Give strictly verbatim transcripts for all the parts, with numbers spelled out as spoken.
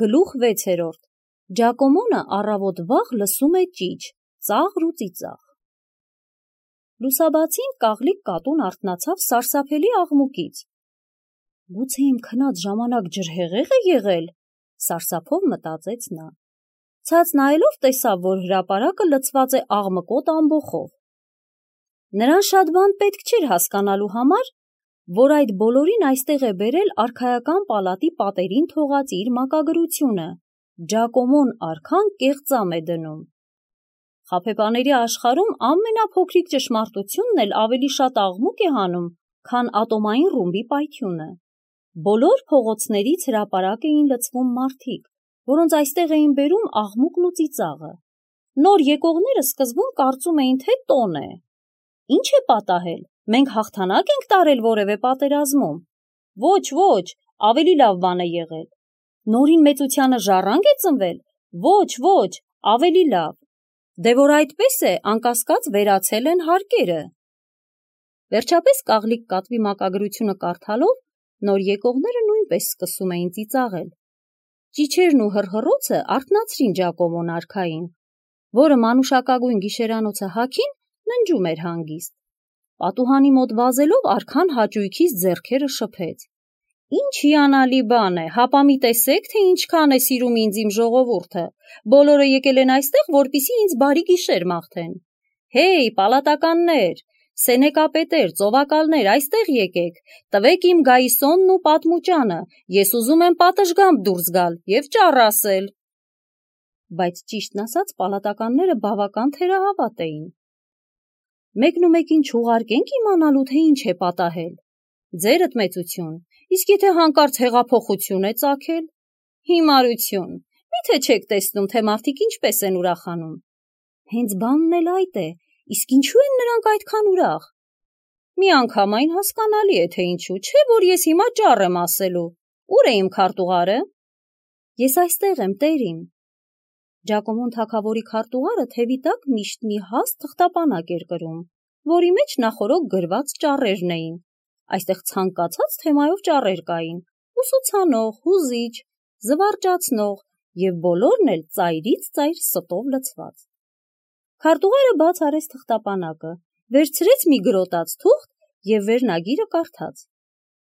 Գլուխ վեցերորդ. Ջակոմոնը առավոտ վաղ լսում է ճիչ, ծաղր ու ծիծաղ։ Լուսաբացին կաղլիկ կատուն արթնացավ սարսափելի աղմուկից։ Գուցե իմ քնած ժամանակ ջրհեղեղ է եղել, սարսափով մտածեց նա։ Ցած նայելով տեսավ, որ հրապարակը լցված է աղմկոտ ամբոխով։ Նրան շատ բան պետք չէր հասկանալու համար, որ այդ բոլորին այստեղ է բերել արքայական պալատի պատերին թողած իր մակագրությունը, Ջակոմոն արքան կեղծամ է դնում։ Խաբեբաների աշխարհում ամենափոքրիկ ճշմարտությունն էլ ավելի շատ աղմուկ է հանում, քան ատոմային ռումբի պայթյունը։ Բոլոր փողոցներից հրապարակ էին լցվում մարդիկ, որոնց այստեղ էին բերում աղմուկն ու ծիծաղը։ Նոր եկողները սկզբում կարծում էին, թե տոն է։ Ինչ է պատահել, մենք հաղթանակ ենք տարել որևէ պատերազմում։ Ոչ, ոչ, ավելի լավ բան է եղել։ Նորին մեծությանը ժառանգ է ծնվել։ Ոչ, ոչ, ավելի լավ։ Դե որ այդպես է, անկասկած վերացել են հարկերը։ Վերջապես կաղլիկ կատվի մակագրությունը կարդալով, նոր եկողները նույնպես սկսում էին ծիծաղել։ Ճիչերն ու հռհռոցը արթնացրին Ջակոմոն արքային, որը մանուշակագույն գիշերանոցը հագին ննջում էր հանգիստ։ Պատուհանի մոտ վազելով արքան հաճույքից ձեռքերը շփեց։ Ինչ հիանալի բան է, հապա մի տեսեք, թե ինչքան է սիրում ինձ իմ ժողովուրդը։ Բոլորը եկել են այստեղ, որպեսզի ինձ բարի գիշեր մաղթեն։ Հեյ, պալատականներ, սենեկապետեր, ծովակալներ, այստեղ եկեք, տվեք իմ գայիսոնն ու պատմուճանը, ես ուզում եմ պատշգամբ դուրս գալ և ճառ ասել։ Բայց ճիշտն ասած, պալատականները բավական թերահավատ էին։ Մեկն ու մեկին չուղարկենք իմանալու, թե ինչ է պատահել։ Ձերդ մեծություն, իսկ եթե հանկարծ հեղափոխություն է ծագել։ Հիմարություն, միթե չեք տեսնում, թե մարդիկ ինչպես են ուրախանում։ Հենց բանն էլ այդ է, իսկ ինչու են նրանք այդքան ուրախ։ Միանգամայն հասկանալի է, թե ինչու, չէ՞ որ ես հիմա ճառ եմ ասելու։ Ուր է իմ քարտուղարը։ Ես այստեղ եմ, տերիմ։ Ջակոմոն թագավորի քարտուղարը թևի տակ միշտ մի հաստ թղթապանակ էր կրում, որի մեջ նախօրոք գրված ճառերն էին։ Այստեղ ցանկացած թեմայով ճառեր կային՝ ուսուցանող, հուզիչ, զվարճացնող և բոլորն էլ ծայրից ծայր ստով լցված։ Քարտուղարը բաց արեց թղթապանակը, վերցրեց մի գրոտած թուղթ և վերնագիրը կարդաց.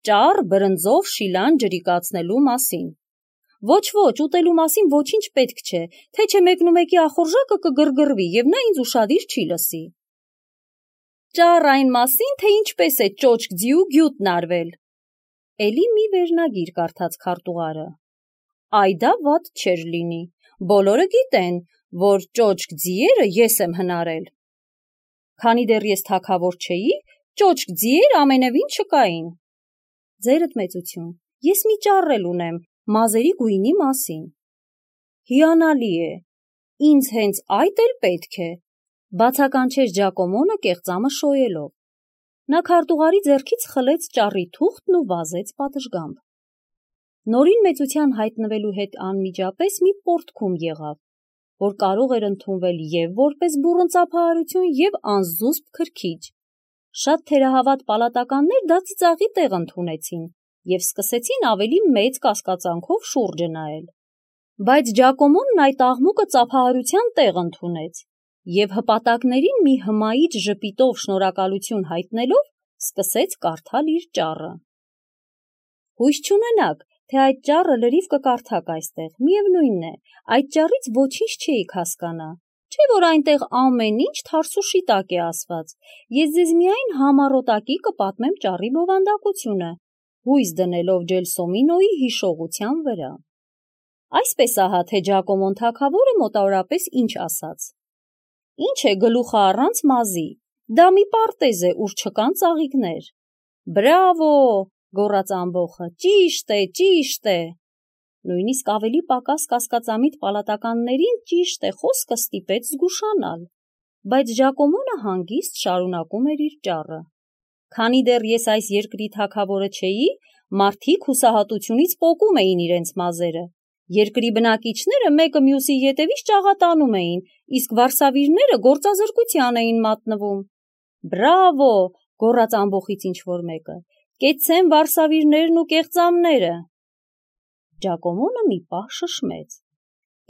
Ճառ բրնձով շիլան ջրիկացնելու մասին։ Ոչ, ոչ, ուտելու մասին ոչինչ պետք չէ, թե չէ մեկնումեկի ախորժակը կգրգռվի և նա ինձ ուշադիր չի լսի։ Ճառ այն մասին, թե ինչպես է ճոճք ձիու գյուտն արվել։ Էլի մի վերնագիր կարդաց քարտուղարը։ Այ դա վատ չէր լինի։ Բոլորը գիտեն, որ ճոճք ձիերը ես եմ հնարել։ Քանի դեռ ես թագավոր չէի, ճոճք ձիեր ամենևին չկային։ Ձերդ մեծություն, ես մի ճառ էլ ունեմ մազերի գույնի մասին։ Հիանալի է, ինձ հենց այդ էլ պետք է, բացականչեց Ջակոմոնը կեղծամը շոյելով։ Նա քարտուղարի ձեռքից խլեց ճառի թուղթն ու վազեց պատշգամբ։ Նորին մեծության հայտնվելու հետ անմիջապես մի պոռթկում եղավ, որ կարող էր ընդունվել և որպես բուռն ծափահարություն և անզուսպ քրքիջ։ Շատ թերահավատ պալատականներ դա ծիծաղի տեղ ընդունեցին և սկսեցին ավելի մեծ կասկածանքով շուրջը նայել։ Բայց Ջակոմոնն այդ աղմուկը ծափահարության տեղ ընդունեց և հպատակներին մի հմայիչ ժպիտով շնորհակալություն հայտնելով սկսեց կարդալ իր ճառը։ Հույս չունենաք, թե այդ ճառը լրիվ կկարդաք այստեղ, միևնույն է, այդ ճառից ոչինչ չէիք հասկանա, չէ՞ որ այնտեղ ամեն ինչ թարս ու շիտակ է ասված, ես ձեզ միայն համառոտակի կպատմեմ ճառի բովանդակությունը, հույս դնելով Ջելսոմինոյի հիշողության վրա։ Այսպես ահա, թե Ջակոմոն թագավորը մոտավորապես ինչ ասաց. Ինչ է գլուխը առանց մազի, դա մի պարտեզ է, ուր չկան ծաղիկներ։ Բրավո, գոռաց ամբոխը, ճիշտ է, ճիշտ է։ Նույնիսկ ավելի պակաս կասկածամիտ պալատականներին ճիշտ է խոսքը ստիպեց զգուշանալ, բայց Ջակոմոնը հանգիստ շարունակում էր իր ճառը։ Քանի դեռ ես այս երկրի թագավորը չէի, մարդիկ հուսահատությունից պոկում էին իրենց մազերը։ Երկրի բնակիչները մեկը մյուսի ետևից ճաղատանում էին, իսկ վարսավիրները գործազրկության էին մատնվում։ Բրավո, գոռաց ամբոխից ինչ-որ մեկը, կեցցեն վարսավիրներն ու կեղծամները։ Ջակոմոնը մի պահ շշմեց։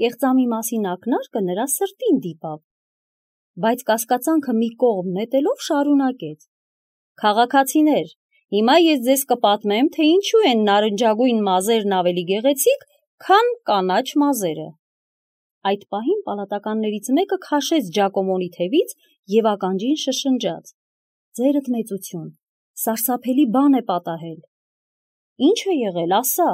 Կեղծամի մասին ակնարկը նրա սրտին դիպավ, բայց կասկածանքը մի կողմ նետելով շարունակեց. «Քաղաքացիներ, հիմա ես ձեզ կպատմեմ, թե ինչու են նարնջագույն մազերն ավելի գեղեցիկ, քան կանաչ մազերը»։ Այդ պահին պալատականներից մեկը քաշեց Ջակոմոնի թևից և ականջին շշնջաց. «Ձերդ մեծություն, սարսափելի բան է պատահել»։ «Ինչ է եղել, ասա»։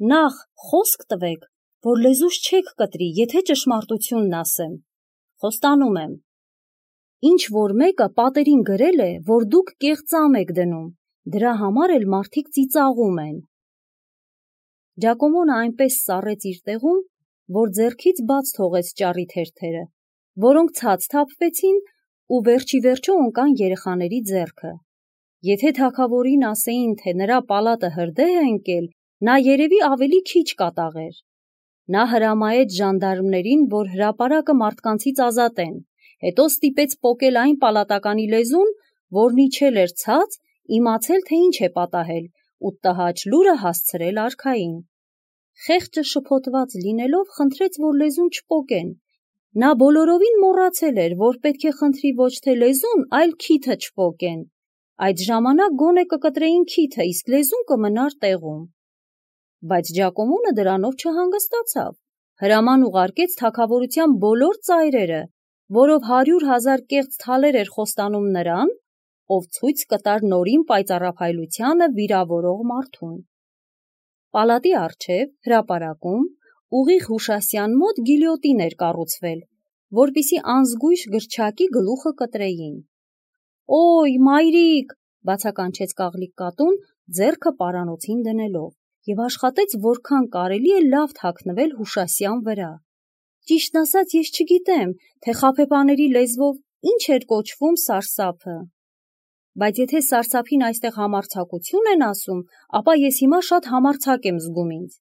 «Նախ խոսք տվեք, որ լեզուս չեք կտրի, եթե ճշմարտությունն ասեմ»։ «Խոստանում եմ»։ «Ինչ որ մեկը պատերին գրել է, որ դուք կեղծամ եք դնում, դրա համար էլ մարդիկ ծիծաղում են»։ Ջակոմոնը այնպես սառեց իր տեղում, որ ձեռքից բաց թողեց ճառի թերթերը, որոնք ցած թափվեցին ու վերջիվերջո ընկան երեխաների ձեռքը։ Եթե թագավորին ասեին, թե նրա պալատը հրդեհ է ընկել, նա երևի ավելի քիչ կատաղեր։ Նա հրամայեց ժանդարմներին, որ հրապարակը մարդկանցից ազատեն, հետո ստիպեց պոկել այն պալատականի լեզուն, որն իջել էր ցած, իմացել, թե ինչ է պատահել, ու տհաճ լուրը հասցրել արքային։ Խեղճը շփոթված լինելով խնդրեց, որ լեզուն չպոկեն։ Նա բոլորովին մոռացել էր, որ պետք է խնդրի ոչ թե լեզուն, այլ քիթը չպոկեն։ Այդ ժամանակ գոնե կկտրեին քիթը, իսկ լեզուն կմնար տեղում։ Բայց Ջակոմոնը դրանով չհանգստացավ։ Հրաման ուղարկեց թագավորության բոլոր ծայրերը, որով հարյուր հազար կեղծ թալեր էր խոստանում նրան, ով ցույց կտար նորին պայծառափայլությանը վիրավորող մարդուն։ Պալատի առջև, հրապարակում, ուղիղ Հուշասյան մոտ գիլյոտին էր կառուցվել, որպեսզի անզգույշ գրչակի գլուխը կտրեին։ «Օй, մայրիկ», բացականչեց Կաղլիկ կատուն, ձեռքը պարանոցին դնելով, և աշխատեց որքան կարելի է լավ թաքնվել Հուշասյան վրա։ Ճիշտն ասած, ես չգիտեմ, թե խաբեբաների լեզվով ինչ էր կոչվում սարսափը։ Բայց եթե սարսափին այստեղ համարձակություն են ասում, ապա ես հիմա շատ համարձակ եմ զգում ինձ։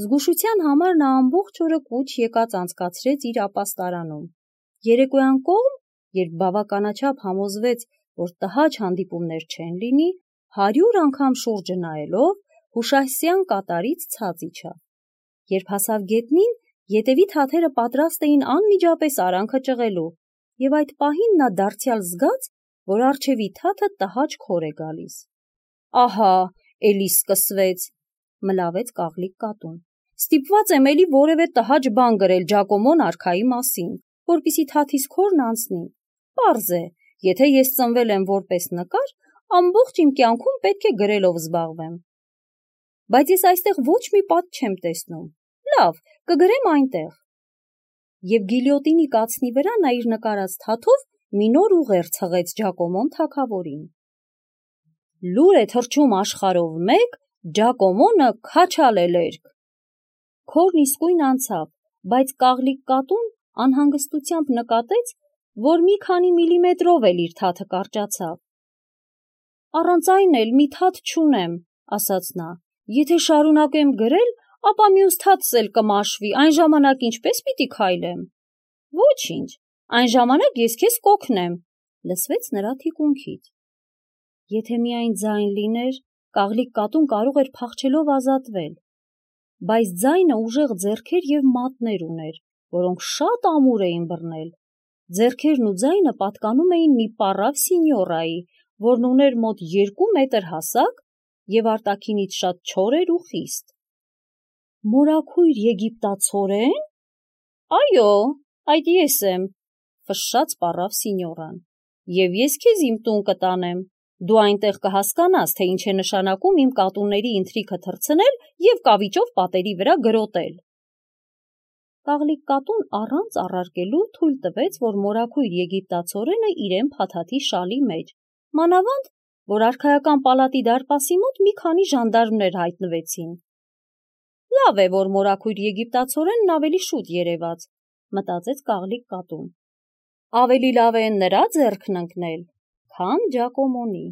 Զգուշության համար նա ամբողջ օրը կուչ եկած անցկացրեց իր ապաստարանում։ Երեկոյան կողմ, երբ բավականաչափ համոզվեց, որ տհաճ հանդիպումներ չեն լինի, հարյուր անգամ շուրջը նայելով, Հուշասյան կատարից ցած իջավ։ Երբ հասավ գետնին, ետևի թաթերը պատրաստ էին անմիջապես արանքը ճղելու, և այդ պահին նա դարձյալ զգաց, որ առջևի թաթը տհաճ քոր է գալիս։ «Ահա, էլի սկսվեց», մլավեց Կաղլիկ կատուն։ «Ստիպված եմ էլի որևէ տհաճ բան գրել Ջակոմոն արքայի մասին, որպեսզի թաթիս քորն անցնի։ Պարզ է, եթե ես ծնվել եմ որպես նկար, ամբողջ իմ կյանքում պետք է գրելով զբաղվեմ։ Բայց ես այստեղ ոչ մի պատ չեմ տեսնում։ Լավ, կգրեմ այնտեղ»։ Եվ գիլյոտինի կացնի վրա նա իր նկարած թաթով մի նոր ուղեր ցղեց Ջակոմոն թագավորին։ «Լուր է թռչում աշխարհով մեկ, Ջակոմոնը քաչալել երկ»։ Քորն իսկույն անցավ, բայց Կաղլիկ կատուն անհանգստությամբ նկատեց, որ մի քանի միլիմետրով էլ իր թաթը կարճացավ։ «Առանց այն էլ մի թաթ չունեմ», ասաց նա։ «Եթե շարունակեմ գրել, ապա մյուս թաթս էլ կմաշվի, այն ժամանակ ինչպե՞ս պիտի քայլեմ»։ «Ոչինչ, այն ժամանակ ես քեզ կօգնեմ», լսվեց նրա թիկունքից։ Եթե միայն ձայն լիներ, Կաղլիկ կատուն կարող էր փախչելով ազատվել։ Բայց ձայնը ուժեղ ձեռքեր և մատներ ուներ, որոնք շատ ամուր էին բռնել։ Ձեռքերն ու ձայնը պատկանում էին մի պառավ սինյորայի, որն ուներ մոտ երկու մետր հասակ և արտաքինից շատ չոր էր ու խիստ։ «Մորաքույր եգիպտացորե՞ն»։ «Այո, այդ ես եմ», ֆշշաց պառավ սինյորան։ «Եվ ես քեզ իմ տուն կտանեմ։ Դու այնտեղ կհասկանաս, թե ինչ է նշանակում իմ կատուների ինթրիքը թռցնել և կավիճով պատերի վրա գրոտել»։ Կաղլիկ կատուն առանց առարկելու թույլ տվեց, որ մորաքույր եգիպտացորենը իրեն փաթաթի շալի մեջ, մանավանդ, որ արքայական պալատի դարպասի մոտ մի քանի ժանդարմներ հայտնվեցին։ Լավ է, որ մորաքույր եգիպտացորենն ավելի շուտ երևաց, մտածեց Կաղլիկ կատուն։ Ավելի լավ է նրա ձեռքն ընկնել, քան Ջակոմոնի։